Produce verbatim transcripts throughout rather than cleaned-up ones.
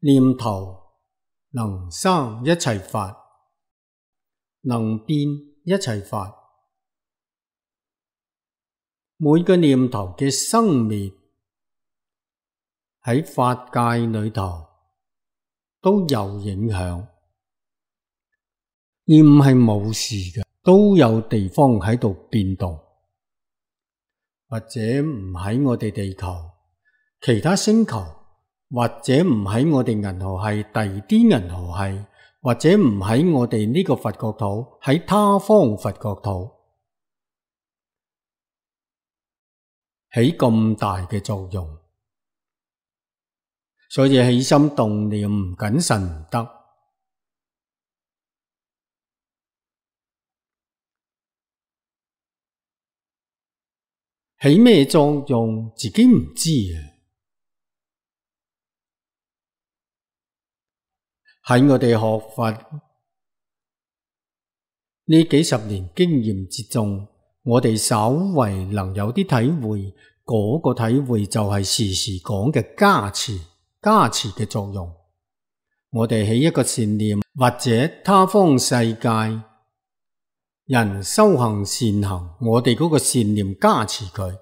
念頭能生一切法，能變一切法。每個念頭嘅生滅喺法界裏頭都有影響，而唔係冇事嘅，都有地方喺度變動，或者唔喺我哋地球、其他星球，或者唔喺我哋銀河系第二啲銀河系，或者唔喺我哋呢個佛國土，喺他方佛國土起咁大嘅作用。所以起心動念唔謹慎唔得。起咩作用自己唔知啊！喺我哋學佛呢幾十年經驗之中，我哋稍為能有啲體會，嗰個體會就係時時講嘅加持，加持嘅作用。我哋起一個善念，或者他方世界人修行善行，我哋嗰個善念加持佢。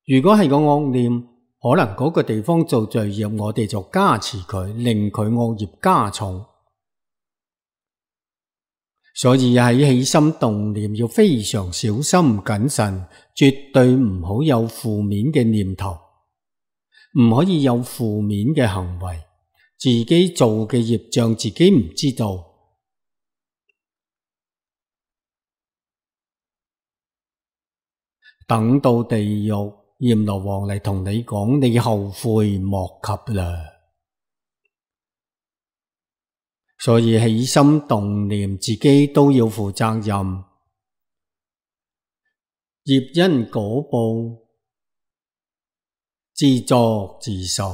如果係個惡念，可能嗰個地方做罪業，我哋就加持佢，令佢惡業加重。所以喺起心動念要非常小心謹慎，絕對唔好有負面嘅念頭，唔可以有負面嘅行為，自己做嘅業障自己唔知道。等到地獄閻羅王嚟同你講，你後悔莫及啦。所以起心動念自己都要負責任，業因果報自作自受，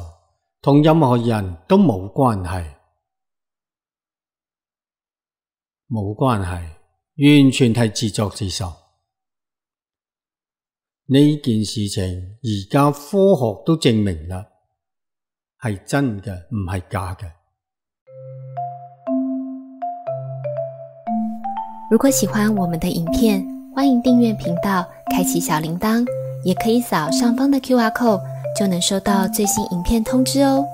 同任何人都冇關係，冇關係，完全係自作自受。呢件事情而家科學都證明啦，係真嘅，唔係假嘅。如果喜歡我們的影片，歡迎訂閱頻道，開啟小鈴鐺，也可以掃上方的 Q R code，就能收到最新影片通知哦。